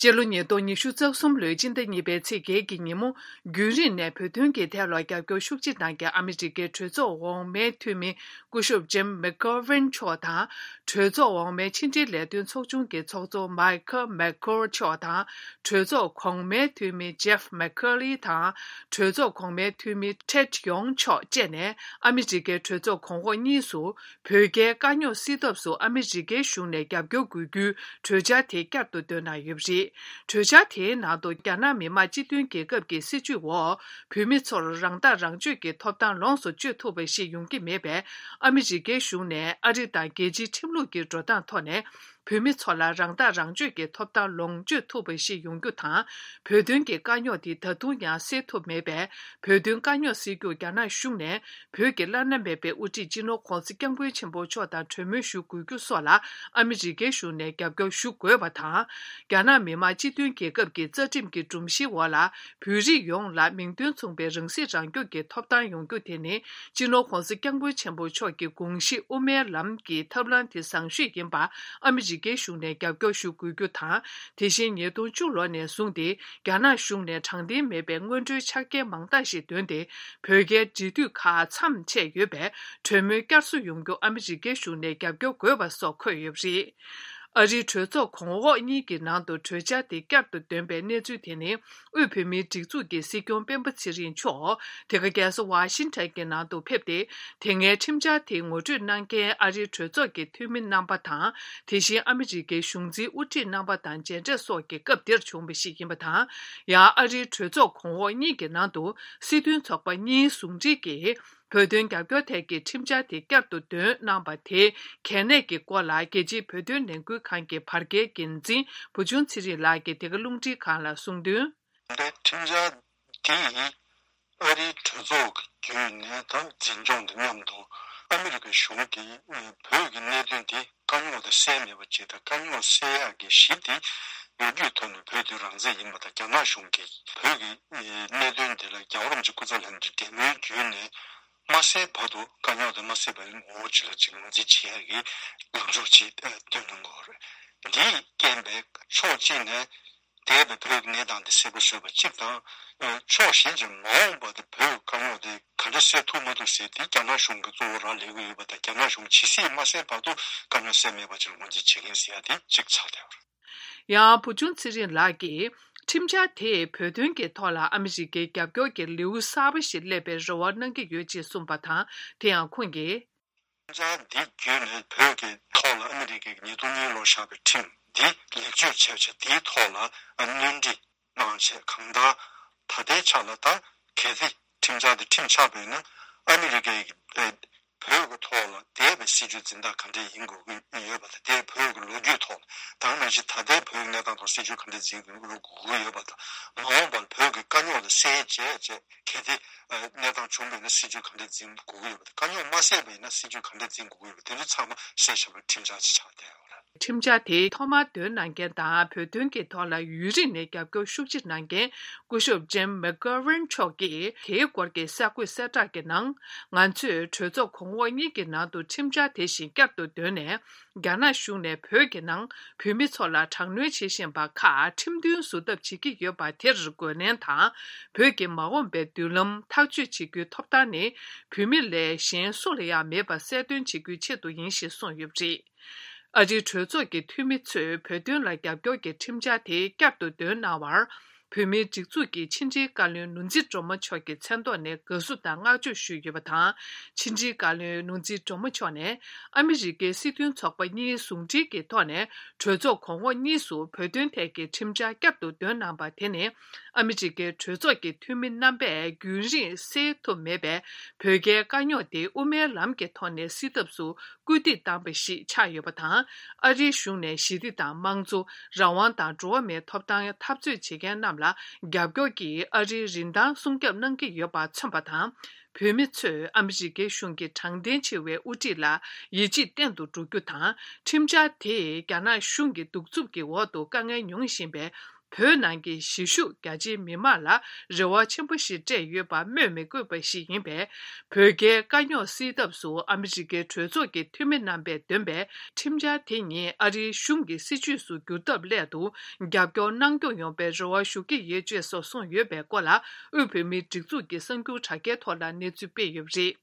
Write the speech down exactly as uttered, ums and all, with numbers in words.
སྤྱི་ལོ་ཉིས་སྟོང་ཉི་ཤུ་རྩ་གསུམ་ལོའི་སྤྱི་ཟླ་གཉིས་པའི་ཚེས་བརྒྱད་ཀྱི་ཉིན་མོ། རྒྱུན་རིང་ནས་བོད་དོན་གྱི་ཐད་ལ་རྒྱབ་སྐྱོར་ཤུགས་ཆེ་གནང་མཁན་ཨ་མི་རི་ཀའི་གྲོས་ཚོགས་འོག་མའི་འཐུས་མི་སྐུ་ཞབས་ཇིམ་མེག་གོ་ཝན་མཆོག་དང་། གྲོས་ཚོགས་འོག་མའི་ཕྱི་འབྲེལ་ལས་དོན་ཚོགས་ཆུང་གི་ཚོགས་གཙོ་མའི་ཁལ་མེག་ཁོར་མཆོག་དང་། གྲོས་ཚོགས་གོང་མའི་འཐུས་མི་ཇེབ་མེག་ཁར་ལི་དང་། གྲོས་ཚོགས་གོང་མའི་འཐུས་མི་ཊེད་ཡོང་མཆོག་བཅས་ནས་ཨ་མི་རི་ཀའི་གྲོས་ཚོགས་གོང་འོག་གཉིས་སུ། བོད་རྒྱའི་དཀའ་རྙོག་སེལ་ཐབས་སུ་ཨ་མི་རི་ཀའི་གཞུང་ནས་རྒྱབ་སྐྱོར་དགོས་རྒྱུའི་གྲོས་འཆར་དེ་བསྐྱར་དུ་བཏོན་གནང་ཡོད་པ་རེད། གྲོས་འཆར་དེའི་ནང་དུ་རྒྱ་ནག་མི་དམངས་སྤྱི་མཐུན་རྒྱལ་ཁབ་ཀྱི་སྲིད་བྱུས་འོག་བོད་མི་ཚོར་རང་ཐག་རང་གཅོད་ཀྱི་ཐོབ་ཐང་ལོངས་སུ་སྤྱོད་ཐུབ་པ་ཞིག་ཡོང་གི་མེད་པས། ཨ་མི་རི་ཀའི་གཞུང་ནས་ཨ་རི་དང་རྒྱལ་སྤྱིའི་ཁྲིམས་ལུགས་ཀྱི་འགྲོ་སྟངས་ཐོག་ནས། བོད་མི་ཚོ་ལ་རང་ཐག་རང་གཅོད་ཀྱི་ཐོབ་ཐང་ལོངས་སྤྱོད་ཐུབ་པ་ཞིག་ཡོང་རྒྱུ་དང་། བོད་དོན་གྱི་དཀའ་རྙོག་དེ་ད་དུང་ཡང་སེལ་ཐུབ་མེད་པས། བོད་དོན་དཀའ་རྙོག་སེལ་རྒྱུར་རྒྱ་ནག་གཞུང་ནས་བོད་ཀྱི་བླ་ན་མེད་པའི་དབུ་ཁྲིད་སྤྱི་ནོར་༧གོང་ས་༧སྐྱབས་མགོན་ཆེན་པོ་མཆོག་དང་གྲོས་མོལ་ཞུ་དགོས་རྒྱུ་སོགས་ལ་ཨ་མི་རི་ཀའི་གཞུང་ནས་རྒྱབ་སྐྱོར་ཞུ་དགོས་པ་དང་། རྒྱ་ནག་མི་དམངས་སྤྱི་མཐུན་རྒྱལ་ཁབ་ཀྱི་རྩ་ཁྲིམས་ཀྱི་སྒྲོམ་གཞིའི་འོག་ལ། བོད་རིགས་ཡོངས་ལ་མིང་དོན་མཚུངས་པའི་རང་སྲིད་རང་སྐྱོང་གི་ཐོབ་ཐང་ཡོང་རྒྱུ་དེ་ནི། སྤྱི་ནོར་༧གོང་ས་༧སྐྱབས་མགོན་ཆེན་པོ་མཆོག་གི་དགོངས་གཞི་དབུ་མའི་ལམ་གྱི་ཐབས་ལམ་དེ་བཟང་ཤོས་ཡིན་པར་ཨ་མི་རི་ཀའི་གཞུང་ནས་རྒྱབ་སྐྱོར་ཞུ་དགོས་རྒྱུ་དང་། དེ་བཞིན་ཉིས་སྟོང་བཅུ་ལོ་ནས་བཟུང་སྟེ། རྒྱ་ནག་གཞུང་ནས་དྲང་བདེན་མེད་པའི་སྔོན་འགྲོའི་ཆ་རྐྱེན་མང་དག་ཞིག་བཏོན་ཏེ། བོད་རྒྱའི་འབྲེལ་མཐུད་ཁག་མཚམས་ཆད་ཡོད་པས། གྲོས་མོལ་བསྐྱར་གསོ་ཡོང་རྒྱུ་ཨ་མི་རི་ཀའི་གཞུང་ནས་རྒྱབ་སྐྱོར་དགོས་པ་སོགས་འཁོད་ཡོད་པ་རེད། ཨ་རིའི་གྲོས་ཚོགས་གོང་འོག་གཉིས་ཀྱི་ནང་དུ་གྲོས་འཆར་དེ་བསྐྱར་དུ་འདོན་པའི་གནས་ཚུལ་དེ་ནི། དབུས་བོད་མིའི་སྒྲིག་འཛུགས་ཀྱི་སྲིད་སྐྱོང་སྤེན་པ་ཚེ་རིང་མཆོག་དེ་ག་རྒྱལ་ས་ཝ་ཤིང་ཊོན་གྱི་ནང་དུ་ཕེབས་ཏེ། དེ་སྔའི་ཁྲིམས་འཆར་དེ་ངོ་སྤྲོད་གནང་མཁན་ཨ་རིའི་གྲོས་ཚོགས་ཀྱི་འཐུས་མི་རྣམ་པ་དང་། དེ་བཞིན་ཨ་མི་རི་ཀའི་གཞུང་འཛིན་དབུ་ཁྲིད་རྣམ་པ་དང་མཇལ་འཕྲད་སོགས་ཀྱི་སྐབས་དེར་བྱུང་བ་ཞིག་ཡིན་པ་དང་། ཡང་ཨ་རིའི་གྲོས་ཚོགས་གོང་འོག་གཉིས་ཀྱི་ནང་དུ་སྲིད་དོན་ཚོགས་པ་གཉིས་ཟུང་འབྲེལ་གྱིས། བོད་དོན་རྒྱབ་སྐྱོར་ཐད་ཀྱི་ཁྲིམས་འཆར་དེ་བསྐྱར་དུ་འདོན་གནང་བ་དེའི་གལ་གནད་ཀྱི་སྐོར་ལ། རྒྱལ་སྤྱིའི་བོད་དོན་ལས་འགུལ་ཁང་གི་བར་བརྒལ་འགན་འཛིན་བུ་ཆུང་ཚེ་རིང་ལགས་ཀྱིས་འདི་ག་རླུང་འཕྲིན་ཁང་ལ་གསུངས་དོན། འདི་ཁྲིམས་འཆར་འདི་ཡིས་ཨ་རིའི་གྲོས་ཚོགས་ཀྱི་བརྒྱུད་ནས་ད་འཛིན་སྐྱོང་དང་མཉམ་དུ་ཨ་མི་རི་ཀའི་གཞུང་གིས་བོད་ཀྱི་གནད་དོན་དེ། དཀའ་རྙོག་དེ་སེལ་མེད་པ་བྱས་དང་། དཀའ་རྙོག་སེལ་ཡག་གི་གཞི་དེ་ལོ་རྒྱུས་ཐོག་ནས་བོད་དོན་རང་བཙན་ཡིན་པ་དང་། རྒྱ་ནག་གཞུང་གིས་བོད་ཀྱི་གནད་དོན་དེ་ལ་རྒྱལ་བ་རིན་པོ་ཆེ་སྐུ་ཚེ་ལྷ་མོའི་འབྲེལ་མོལ་བརྒྱུད་ནས་མ་སེལ་བར་དུ། དཀའ་རྙོག་དེ་མ་སེལ་བར་ངོ་བོ་གཅིག་ལ་གཅིག་ངོས་འཛིན་བྱེད་ཡག་གི་ལངས་ཕྱོགས་ཅིག་བཏོན་གནང་དགོས་པ་རེད། འདིས་རྐྱེན་པས་ཕྱོགས་གཅིག་ནས་འདས་པའི་བོད་ཀྱི་གནས་སྟངས་དེ་གསལ་པོ་བཟོས་པ་གཅིག་དང་། ཕྱོགས་གཞན་གྱིས་མ་འོངས་པ་དེ་བོད་ཀྱི་དཀའ་རྙོག་དེ་ག་འདྲ་སེལ་ཐུབ་མ་ཐུབ་ཟེར་དེ་རྒྱ་ནག་གཞུང་གིས་གཙོ་བོ་རག་ལས་ཀྱི་ཡོད་པ་དང་། རྒྱ་ནག་གཞུང་ཇི་སྲིད་མ་སེལ་བར་དུ་དཀའ་རྙོག་སེལ་མེད་པ་ཅིག་ལ་ངོས་འཛིན་བྱེད་མཁན་ཟེར་ཡ་དེ་གཅིག་ཆགས་བསྡད་ཡོད་རེད། ཡང་བུ་ཆུང་ཚེ་རིང་ལགས་ཀྱིས། ཁྲིམས་འཆར་དེས་བོད་དོན་གྱི་ཐོག་ལ་ཨ་མི་རི་ཀའི་རྒྱབ་སྐྱོར་གྱི་ལེའུ་གསར་པ་ཞིག་སླེབས་པའི་རེ་བ་གནང་གི་ཡོད་ཅེས་གསུངས་པ་དང་། དེ་ཡང་ཁོང་གིས། ཁྲིམས་འཆར་འདི་བརྒྱུད་ནས་བོད་ཀྱི་ཐོག་ལ་ཨ་མི་རི་ཀས་ཉིས་སྟོང་གཉིས་ལོར་བཞག་པའི་ཁྲིམས་འདི་ལེགས་བཅོས་བྱས་བྱས། དེའི་ཐོག་ལ་སྣོན་འཕྲི་གནང་བྱས། གང་ལྟར་ད་ལྟའི་ཆ་ལ་ད་གལ་ཏེ་ཁྲིམས་འཆར་འདི་ཁྲིམས་ཆགས་པ་ཡིན་ན། ཨ་མི་རི་ཀས་བོད་ཀྱི་ཐོག་ལ་འདས་པའི་སྲིད་བྱུས་འཛིན་སྟངས་ག་འདྲས་ཡིན་དགོས་ཀྱི་ཡོད་པ་དང་། དེ་བོད་ཀྱི་ལོ་རྒྱུས་ཐོག་ལ་དང་། ནང་བཞིན་ད་ལྟའི་བོད་ཀྱི་གནས་སྟངས་ཐོག་སྲིད་བྱུས་ག་འདྲས་འཛིན་དགོས་ཀྱི་ཡོད་པ་དང་། མ་འོངས་པར་བོད་ཀྱི་དཀའ་རྙོག་དེ་སེལ་བྱས་བྱས། གལ་ཏེ་གནས་སྟངས་བྱུང་བ་ཡིན་ན་སྲིད་བྱུས་ག་འདྲས་འཛིན་དགོས་ཀྱི་ཡོད་པ་དང་། དཀའ་རྙོག་མ་སེལ་བ་ཡིན་ན་སྲིད་བྱུས་ག་འདྲས་འཛིན་དགོས་ཀྱི་ཡོད་པ། དེ་ཚོ་ཚང་མ་གསལ་བཤད་པའི་ཁྲིམས་འཆར་ཅིག་ཆགས་བསྡད་ཡོད་རེད། ཁྲིམས་འཆར་དེ་ཐོག་མར་འདོན་གནང་མཁན་དང་། བོད་དོན་གྱི་ཐོག་ལ་ཡུན་རིང་ནས་རྒྱབ་སྐྱོར་ཤུགས་ཆེ་གནང་མཁན་སྐུ་ཞབས་ཇིམ་མེག་གྷོ་ཝན་མཆོག་གིས། དེའི་སྐོར་གྱི་གསར་འགོད་གསལ་བསྒྲགས་ཀྱི་ནང་། ང་ཚོས་གྲོས་ཚོགས་གོང་འོག་གཉིས་ཀྱི་ནང་དུ་ཁྲིམས་འཆར་དེ་བཞིན་བསྐྱར་དུ་འདོན་ནས། རྒྱ་ནག་གཞུང་ནས་བོད་ཀྱི་ནང་བོད་མི་ཚོ་ལ་དྲག་གནོན་བྱེད་བཞིན་པ་ཁག་ཁྲིམས་མཐུན་བཟོ་ཐབས་བྱེད་ཀྱི་ཡོད་པ་དེར་རྒོལ་ལན་དང་། བོད་ཀྱི་མ་འོངས་པའི་མདུན་ལམ་ཐག་གཅོད་བྱེད་རྒྱུའི་ཐོབ་ཐང་ནི་བོད་མི་ལས་གཞན་སུ་ལ་ཡང་མེད་པ་གསལ་སྟོན་བྱེད་རྒྱུའི་ཆེད་དུ་ཡིན་ཞེས་གསུངས་ཡོད་པ་རེད། ཨ་རིའི་གྲོས་ཚོགས་ཀྱི་འཐུས་མི་ཚོས་བོད་དོན་ལ་རྒྱབ་སྐྱོར་གྱི་ཁྲིམས་འཆར་དེ་བསྐྱར་དུ་འདོན་གནང་བར། བོད་མིའི་སྒྲིག་འཛུགས་ཀྱི་ཕྱི་དྲིལ་བཀའ་བློན་ནོར་འཛིན་སྒྲོལ་མ་མཆོག་གི་མཚན་ཐོག་ནས་དགའ་བསུ་དང་བསྔགས་བརྗོད་ཞུས་ཡོད་པ་དང་། ཕྱི་དྲིལ་བཀའ་བློན་ནོར་འཛིན་སྒྲོལ་མ་མཆོག་ནས། ཨ་མི་རི་ཀའི་སྲིད་དོན་ཚོགས་པ་གཉིས་ཟུང་འབྲེལ་གྱི་ཐོག་ནས་གྲོས་ཚོགས་གོང་འོག་གཉིས་སུ་བོད་དོན་ཐད་ཀྱི་ཁྲིམས་འཆར་བསྐྱར་དུ་འདོན་གནང་པ་དེ་ནི། ཨ་མི་རི་ཀའི་གྲོས་ཚོགས་ཀྱི་འཐུས་མི་རྣམ་པས་རྒྱུན་རིང་སེལ་ཐུབ་མེད་པའི་བོད་རྒྱའི་དཀའ་རྙོག་དེ་དབུ་མའི་ལམ་གྱི་ཐོག་ནས་སེལ་ཐབས་སུ། སྐུལ་འདེད་བཏང་བ་ཞིག་ཆགས་ཡོད་པ་དང་། ཨ་རིའི་གཞུང་ནས་ཞི་བདེ་དང་དམངས་གཙོ། རང་དབང་དང་འགྲོ་བ་མིའི་ཐོབ་ཐང་འཐབ་རྩོད་བྱེད་མཁན་རྣམས་ལ་རྒྱབ་སྐྱོར་གྱིས་ཨ་རིའི་རིན་ཐང་སྲུང་སྐྱོབ་གནང་གི་ཡོད་པ་མཚོན་པ་དང་། བོད་མི་ཚོས་ཨ་མི་རི་ཀའི་གཞུང་གི་དྲང་བདེན་ཆེ་བའི་དབུ་ཁྲིད་ལ་ཡིད་ཆེས་བརྟན་དུ་འགྲོ་རྒྱུ་དང་། ཁྲིམས་འཆར་དེས་རྒྱ་ནག་གཞུང་གི་གདུག་རྩུབ་ཀྱི་འོག་ཏུ་དཀའ་ངལ་མྱོང་བཞིན་པའི་ བོད་ནང་གི་གཞིས་བཞུགས་རྒྱ་ཆེའི་མི་མང་ལ་རེ་བ་ཆེན་པོ་ཞིག་སྤྲད་ཡོད་པ་སྨོས་མི་དགོས་པ་ཞིག་ཡིན་པས། བོད་རྒྱའི་དཀའ་རྙོག་སེལ་ཐབས་སུ་ཨ་མི་རི་ཀའི་གྲོས་ཚོགས་ཀྱི་འཐུས་མི་རྣམ་པས་འདོན་པའི་ཁྲིམས་འཆར་དེ་ཉིད་ཨ་རིའི་གཞུང་གི་སྲིད་བྱུས་སུ་འགྱུར་ཐབས་སླད་དུ་རྒྱབ་སྐྱོར་གནང་སྐྱོང་ཡོང་བའི་རེ་བ་ཞུ་གི་ཡོད་ཅེས་སོགས་གསུངས་ཡོད་པའི་སྐོར་ལ། དབུས་བོད་མིའི་སྒྲིག་འཛུགས་ཀྱི་གསར་འགྱུར་དྲ་རྒྱའི་ཐོག་ལ་གནས་ཚུལ་སྤེལ་ཡོད་པ་རེད།